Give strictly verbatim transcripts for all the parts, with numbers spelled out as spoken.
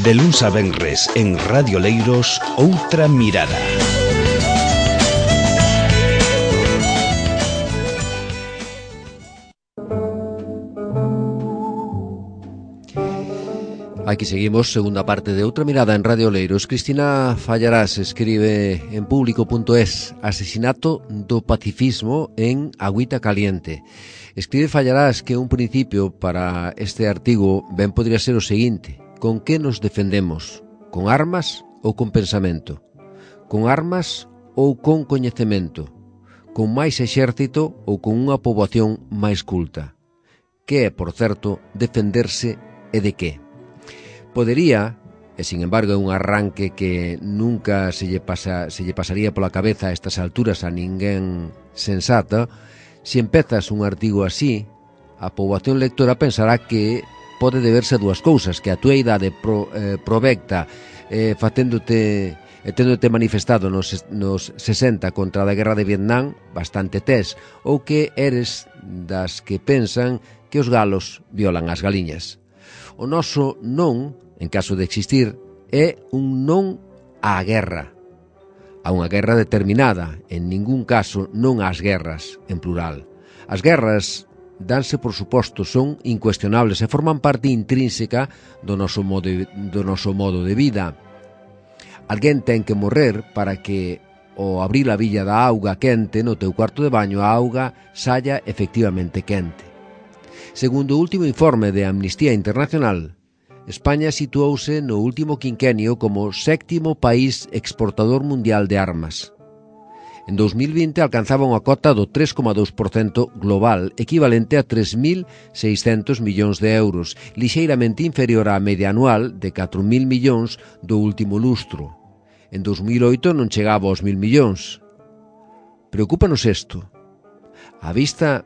De luns a venres en Radio Leiros, Outra Mirada. Aquí seguimos, segunda parte de Outra Mirada en Radio Leiros. Cristina Fallarás escribe en público punto es: asesinato do pacifismo en Agüita Caliente. Escribe Fallarás que un principio para este artigo ben podría ser o seguinte: con que nos defendemos? Con armas ou con pensamento? Con armas ou con coñecemento? Con máis exército ou con unha poboación máis culta? Que é, por certo, defenderse e de que? Podería, e sin embargo é un arranque que nunca se lle, pasa, se lle pasaría pola cabeza a estas alturas a ninguén sensata, se empezas un artigo así, a poboación lectora pensará que pode deberse a dúas cousas: que a túa idade pro, eh, provecta eh, facéndote e téndote manifestado nos, nos sesenta contra a guerra de Vietnam, bastante tes, ou que eres das que pensan que os galos violan as galiñas. O noso non, en caso de existir, é un non á guerra, a unha guerra determinada, en ningún caso non ás guerras, en plural. As guerras danse por suposto, son incuestionables e forman parte intrínseca do noso modo de, do noso modo de vida. Alguén ten que morrer para que, ao abrir a billa da auga quente no teu cuarto de baño, a auga saia efectivamente quente. Segundo o último informe de Amnistía Internacional, España situouse no último quinquenio como sétimo país exportador mundial de armas. En dos mil vinte alcanzaba unha cota do tres coma dous por cento global, equivalente a tres mil seiscentos millóns de euros, lixeiramente inferior á media anual de catro mil millóns do último lustro. En dos mil oito non chegaba aos mil millóns. Preocúpanos isto. A vista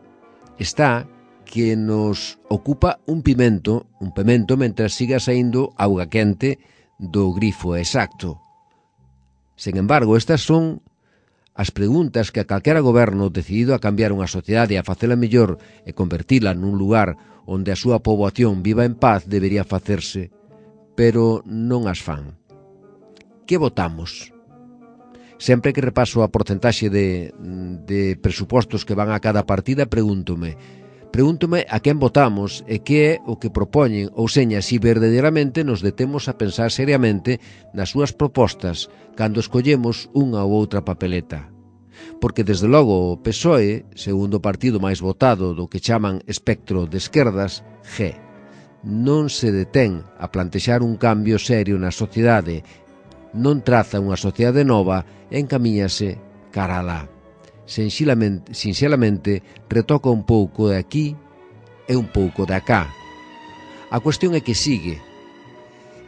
está que nos ocupa un pimento, un pimento mentre siga saindo auga quente do grifo exacto. Sen embargo, estas son as preguntas que a calquera goberno decidido a cambiar unha sociedade, a facela mellor e convertila nun lugar onde a súa poboación viva en paz debería facerse, pero non as fan. Que votamos? Sempre que repaso a porcentaxe de, de presupostos que van a cada partida, pregúntome Pregúntome a quen votamos e que é o que propoñen, ou seña, si verdadeiramente nos detemos a pensar seriamente nas súas propostas cando escollemos unha ou outra papeleta. Porque, desde logo, o P S O E, segundo partido máis votado do que chaman espectro de esquerdas, G, non se detén a plantexar un cambio serio na sociedade, non traza unha sociedade nova e encamíñase cara alá. Sinxelamente, sinxelamente retoca un pouco de aquí e un pouco de acá. A cuestión é que sigue.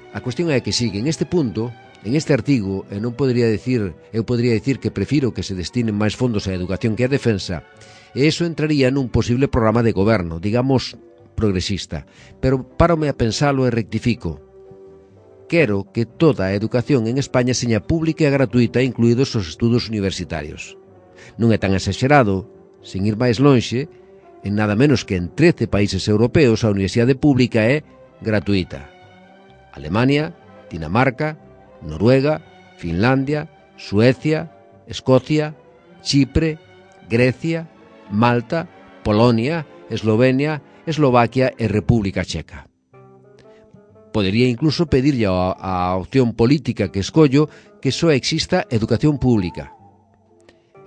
A cuestión é que sigue. En este punto, en este artigo, e non podería decir, eu podería decir que prefiro que se destinen máis fondos á educación que á defensa, e iso entraría nun posible programa de goberno, digamos, progresista. Pero párome a pensalo e rectifico. Quero que toda a educación en España seña pública e gratuita, incluídos os estudos universitarios. Non é tan exagerado, sen ir máis lonxe, en nada menos que en trece países europeos a universidade pública é gratuita. Alemania, Dinamarca, Noruega, Finlandia, Suecia, Escocia, Chipre, Grecia, Malta, Polonia, Eslovenia, Eslovaquia e República Checa. Podería incluso pedirlle a, a opción política que escollo que só exista educación pública.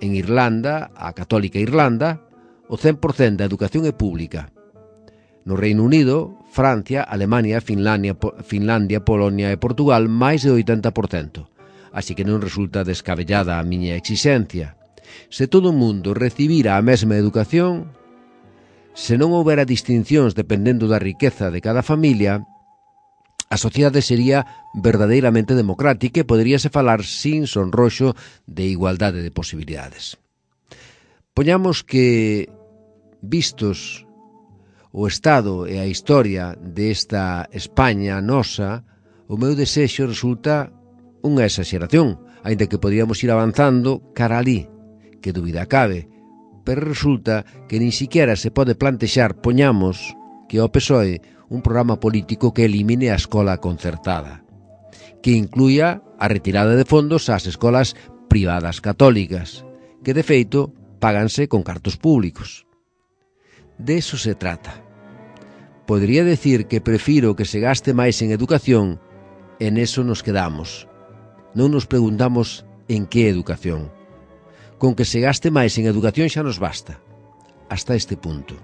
En Irlanda, a Católica Irlanda, o cen por cento da educación é pública. No Reino Unido, Francia, Alemania, Finlandia, Finlandia, Polonia e Portugal, máis de oitenta por cento. Así que non resulta descabellada a miña exigencia. Se todo o mundo recibira a mesma educación, se non houbera distincións dependendo da riqueza de cada familia, a sociedade sería verdadeiramente democrática e poderíase falar sin sonroxo de igualdade de posibilidades. Poñamos que, vistos o estado e a historia desta España nosa, o meu desexo resulta unha exageración, aínda que podíamos ir avanzando cara alí, que dúbida cabe, pero resulta que nin siquiera se pode plantexar, poñamos, que ao P S O E un programa político que elimine a escola concertada, que incluya a retirada de fondos ás escolas privadas católicas, que de feito páganse con cartos públicos. De eso se trata. Podría decir que prefiro que se gaste máis en educación, en eso nos quedamos. Non nos preguntamos en que educación. Con que se gaste máis en educación xa nos basta. Hasta este punto.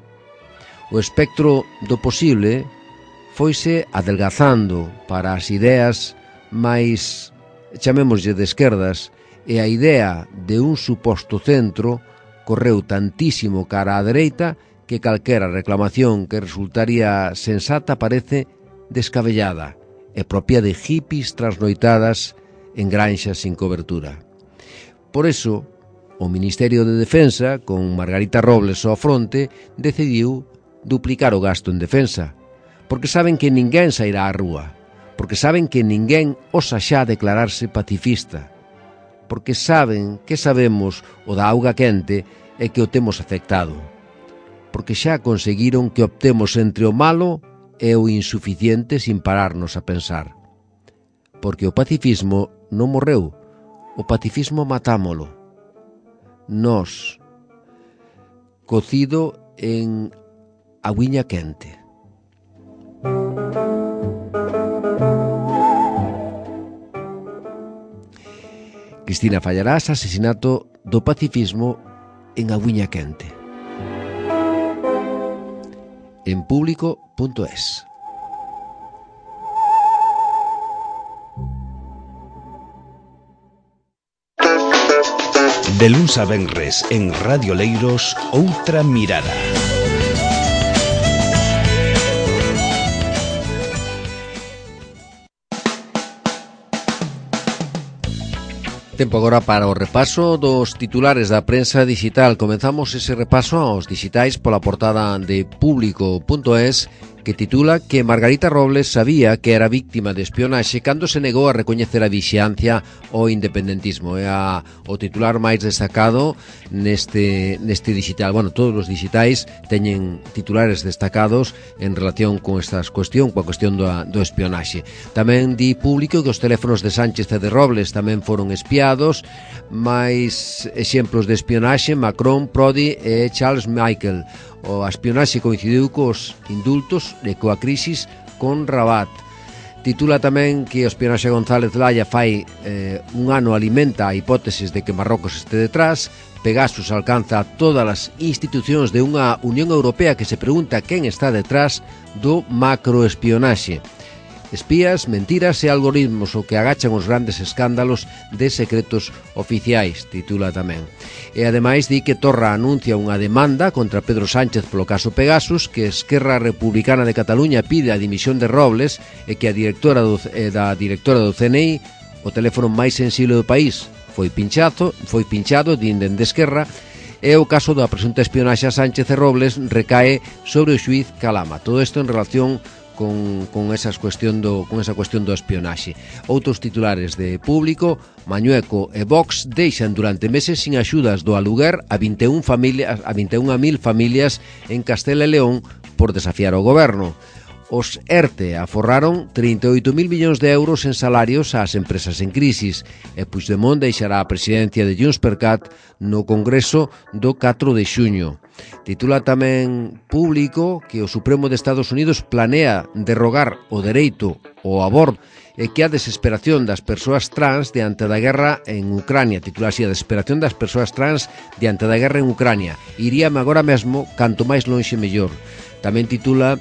O espectro do posible foise adelgazando para as ideas máis, chamémoslle, de esquerdas, e a idea de un suposto centro correu tantísimo cara á dereita que calquera reclamación que resultaría sensata parece descabellada e propia de hippies trasnoitadas en granxas sin cobertura. Por eso, o Ministerio de Defensa, con Margarita Robles ao fronte, decidiu duplicar o gasto en defensa, porque saben que ninguén sairá á rúa, porque saben que ninguén osa xa declararse pacifista, porque saben que sabemos o da auga quente e que o temos afectado, porque xa conseguiron que optemos entre o malo e o insuficiente sin pararnos a pensar. Porque o pacifismo non morreu, o pacifismo matámolo. Nós, cocido en agüiña quente. Cristina Fallarás, asesinato do pacifismo en agüiña quente. En público punto es. De luns a venres en Radio Leiros, Outra Mirada. Tempo agora para o repaso dos titulares da prensa digital. Comenzamos ese repaso aos digitais pola portada de público punto es, que titula que Margarita Robles sabía que era víctima de espionaxe cando se negou a recoñecer a vixiancia ao independentismo. É a, o titular máis destacado neste, neste digital. Bueno, todos os digitais teñen titulares destacados en relación con estas cuestión, coa cuestión do, do espionaxe. Tamén di Público que os teléfonos de Sánchez e de Robles tamén foron espiados. Mais exemplos de espionaxe: Macron, Prodi e Charles Michael. O espionaxe coincidiu cos indultos e coa crisis con Rabat. Titula tamén que o espionaxe González Laya fai eh, un ano alimenta a hipótesis de que Marrocos este detrás. Pegasus alcanza todas as institucións de unha Unión Europea que se pregunta quen está detrás do macroespionaxe. Espías, mentiras e algoritmos o que agachan os grandes escándalos de secretos oficiais, titula tamén. E ademais di que Torra anuncia unha demanda contra Pedro Sánchez polo caso Pegasus, que Esquerra Republicana de Cataluña pide a dimisión de Robles e que a directora do, eh, da directora do C N I, o teléfono máis sensible do país, foi pinchado, foi pinchado, din dende Esquerra, e o caso da presunta espionaxe a Sánchez e Robles recae sobre o xuíz Calama. Todo isto en relación con, con, esas cuestión do, con esa cuestión do espionaxe. Outros titulares de Público: Mañueco e Vox deixan durante meses sin axudas do aluguer a vinte e unha familias, a vinte e unha mil familias en Castela e León por desafiar o goberno. Os ERTE aforraron trinta e oito mil millóns de euros en salarios ás empresas en crisis, e Puigdemont deixará a presidencia de JxCat no Congreso do catro de xuño. Titula tamén Público que o Supremo de Estados Unidos planea derrogar o dereito ao aborto e que a desesperación das persoas trans diante da guerra en Ucrania. Titula así: a desesperación das persoas trans diante da guerra en Ucrania. Iríame agora mesmo, canto máis lonxe mellor. Tamén titula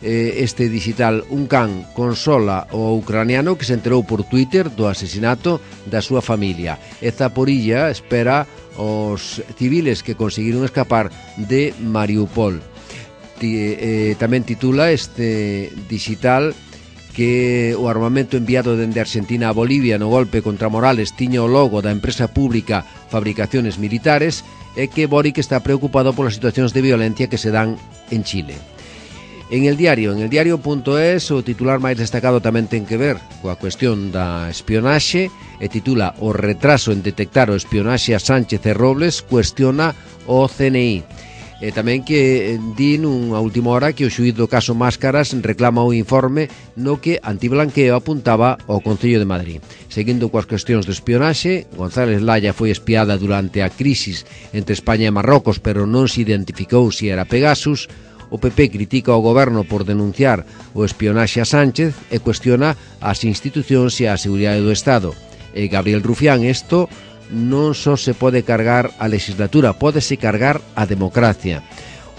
este digital: un can consola o ucraniano que se enterou por Twitter do asesinato da súa familia. E Zaporilla espera os civiles que conseguiron escapar de Mariupol. Tamén titula este digital que o armamento enviado dende Argentina a Bolivia no golpe contra Morales tiña o logo da empresa pública Fabricaciones Militares, e que Boric está preocupado polas situacións de violencia que se dan en Chile. En el diario, en el diario punto es, o titular máis destacado tamén ten que ver coa cuestión da espionaxe, e titula: o retraso en detectar o espionaxe a Sánchez e Robles cuestiona o C N I. E tamén que di nunha última hora que o xuíz do caso Máscaras reclama o informe no que Antiblanqueo apuntaba ao Concello de Madrid. Seguindo coas cuestións de espionaxe, González Laya foi espiada durante a crisis entre España e Marrocos, pero non se identificou se era Pegasus. O P P critica ao goberno por denunciar o espionaxe a Sánchez e cuestiona as institucións e a seguridade do Estado. E Gabriel Rufián, isto non só se pode cargar a legislatura, pódese cargar a democracia.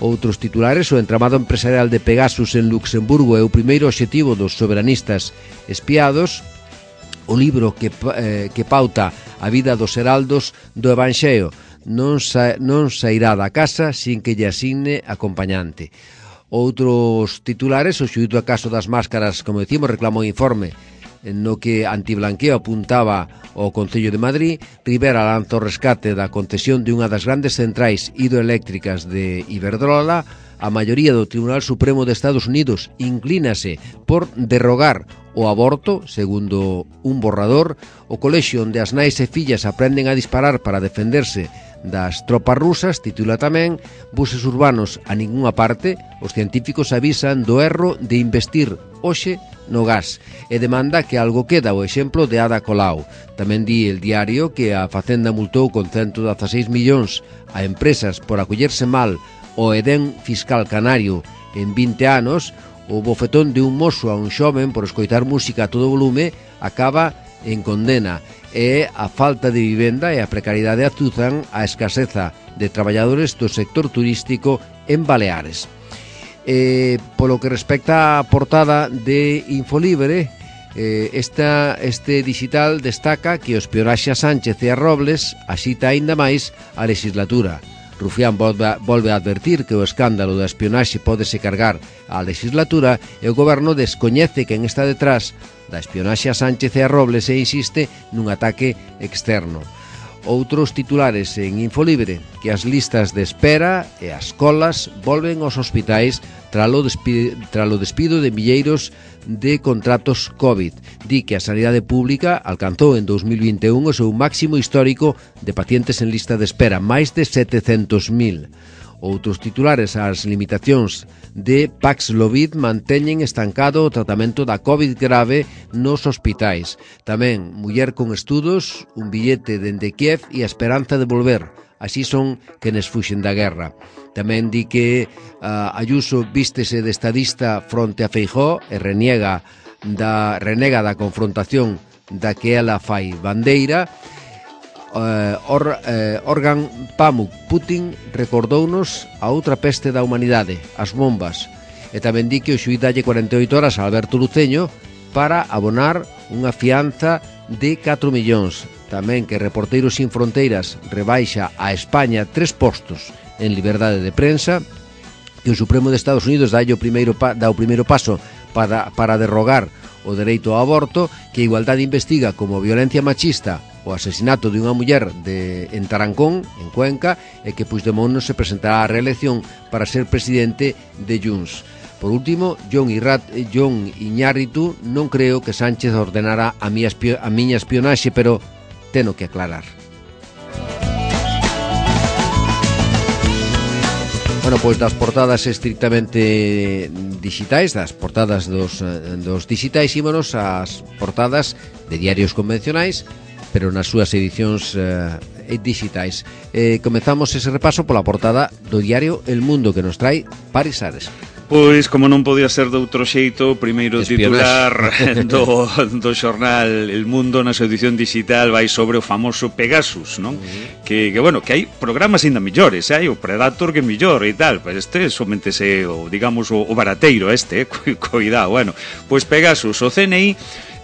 Outros titulares: o entramado empresarial de Pegasus en Luxemburgo é o primeiro obxectivo dos soberanistas espiados. O libro que, eh, que pauta a vida dos heraldos do Evanxeo non, sa, non sairá da casa sin que lle asigne acompañante. Outros titulares: o xuíz do caso das máscaras, como decimos, reclamou informe no que Antiblanqueo apuntaba ao Concello de Madrid. Rivera lanza o rescate da concesión de unha das grandes centrais hidroeléctricas de Iberdrola. A maioría do Tribunal Supremo de Estados Unidos inclínase por derrogar o aborto, segundo un borrador. O colexio onde as nais e fillas aprenden a disparar para defenderse das tropas rusas titula tamén: buses urbanos a ningunha parte, os científicos avisan do erro de investir hoxe no gas, e demanda que algo queda, o exemplo de Ada Colau. Tamén di El Diario que a Facenda multou con ciento dezaseis millóns a empresas por acollerse mal o edén fiscal canario en vinte anos. O bofetón de un mozo a un xoven por escoitar música a todo volume acaba en condena, e a falta de vivenda e a precariedade azuzan a escaseza de traballadores do sector turístico en Baleares. Eh, polo que respecta á portada de Infolibre, eh, esta, este digital destaca que o espionaxe a Sánchez e a Robles axita aínda máis a legislatura. Rufián volve, volve a advertir que o escándalo da espionaxe pódese cargar á legislatura, e o goberno descoñece quen está detrás da espionaxe a Sánchez e a Robles e insiste nun ataque externo. Outros titulares en Infolibre: que as listas de espera e as colas volven aos hospitais tralo despido, tralo despido de milleiros de contratos COVID. Di que a sanidade pública alcanzou en dos mil vinte e un o seu máximo histórico de pacientes en lista de espera, máis de setecentos mil. Outros titulares: as limitacións de Paxlovid manteñen estancado o tratamento da COVID grave nos hospitais. Tamén muller con estudos, un billete dende Kiev e a esperanza de volver. Así son quenes fuxen da guerra. Tamén di que uh, Ayuso vístese de estadista fronte a Feijóo e reniega da, renega da confrontación da que ela fai bandeira. Uh, or, uh, Organ Pamuk: Putin recordounos a outra peste da humanidade, as bombas. E tamén di que o xuíz dalle cuarenta e oito horas a Alberto Luceño para abonar unha fianza de catro millóns. Tamén que Reporteiros Sin Fronteiras rebaixa a España tres postos en liberdade de prensa, que o Supremo de Estados Unidos dá o primeiro, pa, dá o primeiro paso para, para derrogar o dereito ao aborto, que a Igualdade investiga como violencia machista o asesinato de unha muller de, en Tarancón, en Cuenca, e que Puigdemont non se presentará á reelección para ser presidente de Junts. Por último, John, Irrat, John Iñárritu: non creo que Sánchez ordenara a, mi espio, a miña espionaxe, pero teno que aclarar. Bueno, pois das portadas estrictamente digitais, das portadas dos, dos digitais, ímonos ás portadas de diarios convencionais, pero nas súas edicións eh, digitais. Eh, comezamos ese repaso pola portada do diario El Mundo, que nos trae Paris Ares. Pois, como non podía ser de outro xeito, o primeiro titular do, do xornal El Mundo na súa edición digital vai sobre o famoso Pegasus, non? Uh-huh. Que, que, bueno, que hai programas ainda millores, hai o Predator que é millor e tal, pois este somente se, o, digamos, o, o barateiro este, eh? Cuidado, bueno. Pois Pegasus, o C N I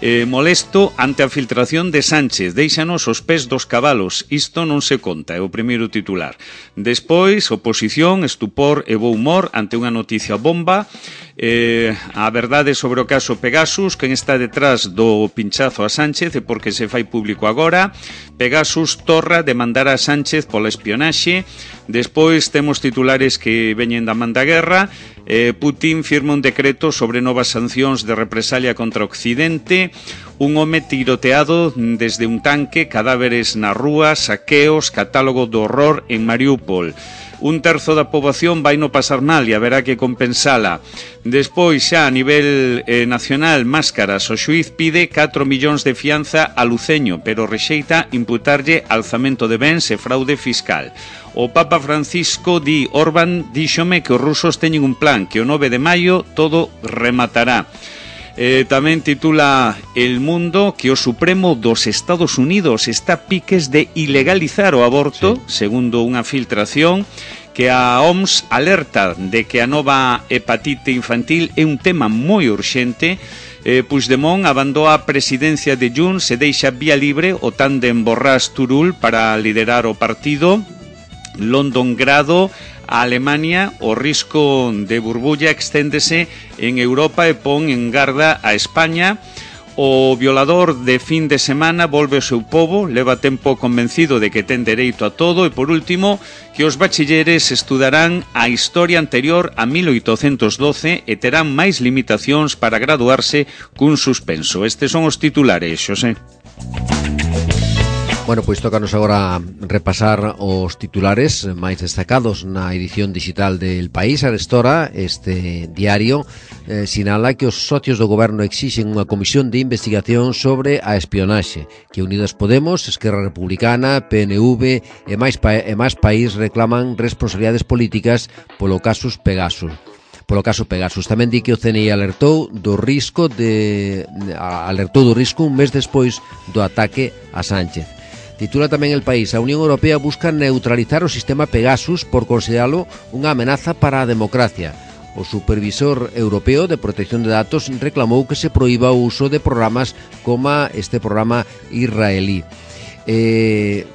Eh, molesto ante a filtración de Sánchez, déixanos os pés dos cabalos, isto non se conta, é o primeiro titular. Despois, oposición, estupor e bo humor ante unha noticia bomba. Eh, a verdade sobre o caso Pegasus, quen está detrás do pinchazo a Sánchez e porque se fai público agora. Pegasus torra demandar a Sánchez pola espionaxe. Despois temos titulares que veñen da man da guerra. eh, Putin firma un decreto sobre novas sancións de represalia contra Occidente. un home tiroteado desde un tanque, cadáveres na rúa, saqueos, catálogo do horror en Mariúpol. Un terzo da poboación vai no pasar mal e haberá que compensala. Despois, xa a nivel eh, nacional, máscaras, o xuiz pide catro millóns de fianza a Luceño, pero rexeita imputarlle alzamento de bens e fraude fiscal. O Papa Francisco di Orbán díxome que os rusos teñen un plan, que o nove de maio todo rematará. Eh, tamén titula El Mundo que o Supremo dos Estados Unidos está piques de ilegalizar o aborto, sí. Segundo unha filtración, que a O M S alerta de que a nova hepatite infantil é un tema moi urxente. eh, Puigdemont abandou a presidencia de Junts e deixa vía libre o tándem Borràs-Turull para liderar o partido. London Grado, a Alemania, o risco de burbulla exténdese en Europa e pon en garda a España. O violador de fin de semana volve ao seu pobo, leva tempo convencido de que ten dereito a todo. E por último, que os bachilleres estudarán a historia anterior a mil oitocentos doce e terán máis limitacións para graduarse cun suspenso. Estes son os titulares, Xosé. Bueno, pois tócanos agora repasar os titulares máis destacados na edición digital del País. Arestora, este diario eh, sinala que os socios do goberno exixen unha comisión de investigación sobre a espionaxe, que Unidas Podemos, Esquerra Republicana, P N V e máis, pa e máis país reclaman responsabilidades políticas polo casus Pegasus. Polo caso Pegasus. Tamén di que o C N I alertou do risco de alertou do risco un mes despois do ataque a Sánchez. Titula tamén El País: a Unión Europea busca neutralizar o sistema Pegasus por consideralo unha amenaza para a democracia. O supervisor europeo de protección de datos reclamou que se proíba o uso de programas como este programa israelí. Eh,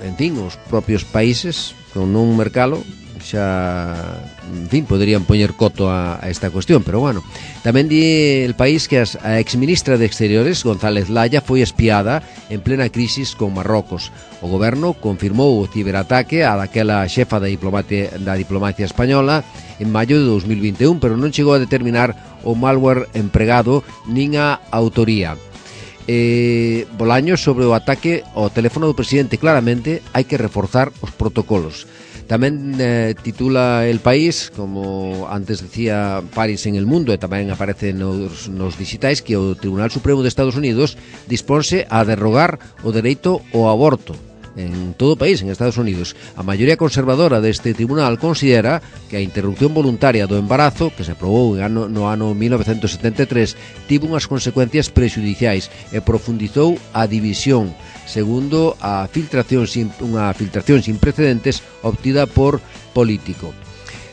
en fin, os propios países, con non mercalo, xa, en fin, poderían poñer coto a, a esta cuestión, pero bueno. Tamén di El País que as, a exministra de Exteriores, González Laya, foi espiada en plena crisis con Marrocos. O goberno confirmou o ciberataque a daquela xefa da diplomacia, da diplomacia española en maio de dos mil vinte e un, pero non chegou a determinar o malware empregado nin a autoría. Eh, Bolaños sobre o ataque ao teléfono do presidente: claramente hai que reforzar os protocolos. Tamén eh, titula El País, como antes decía Paris en El Mundo, e tamén aparece nos, nos digitais, que o Tribunal Supremo de Estados Unidos disponse a derrogar o dereito ao aborto en todo o país, en Estados Unidos. A maioría conservadora deste tribunal considera que a interrupción voluntaria do embarazo, que se aprobou no ano mil novecentos setenta e tres, tivo unhas consecuencias prexudiciais e profundizou a división, segundo a filtración sin, unha filtración sin precedentes obtida por Político.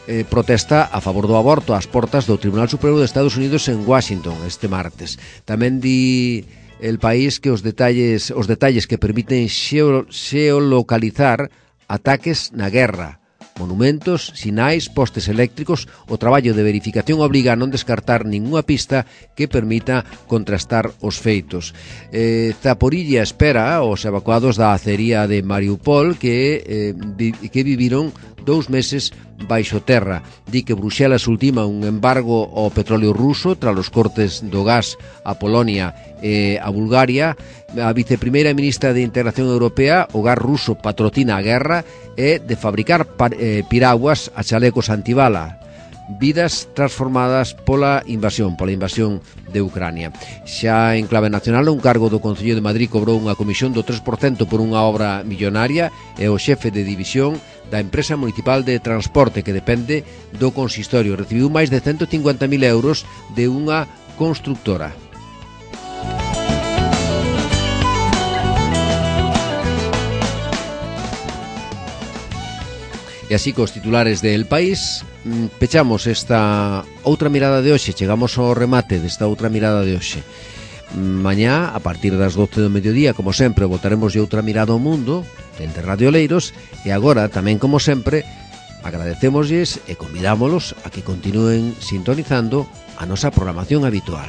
Eh, protesta a favor do aborto ás portas do Tribunal Supremo de Estados Unidos en Washington este martes. Tamén di El País que os detalles os detalles que permiten xeo, xeolocalizar ataques na guerra, monumentos, sinais, postes eléctricos. O traballo de verificación obriga a non descartar ningunha pista que permita contrastar os feitos. Eh, Zaporilla espera os evacuados da acería de Mariúpol que, eh, vi, que viviron dous meses baixo terra. Di que Bruxelas ultima un embargo ao petróleo ruso tras os cortes do gas a Polonia e a Bulgaria. A viceprimeira ministra de Integración Europea: o gas ruso patrocina a guerra e de fabricar par, eh, piraguas a chalecos antibala. Vidas transformadas pola invasión, pola invasión de Ucrania. Xa en clave nacional, un cargo do Concello de Madrid cobrou unha comisión do tres por cento por unha obra millonaria e o xefe de división da empresa municipal de transporte que depende do consistorio recibiu máis de ciento cincuenta mil euros de unha constructora. E así cos titulares de El País pechamos esta outra mirada de hoxe. Chegamos ao remate desta outra mirada de hoxe. Mañá, a partir das doce do mediodía, como sempre, botaremos de outra mirada ao mundo dende Radio Oleiros. E agora, tamén como sempre, agradecémoslles e convidámolos a que continúen sintonizando a nosa programación habitual.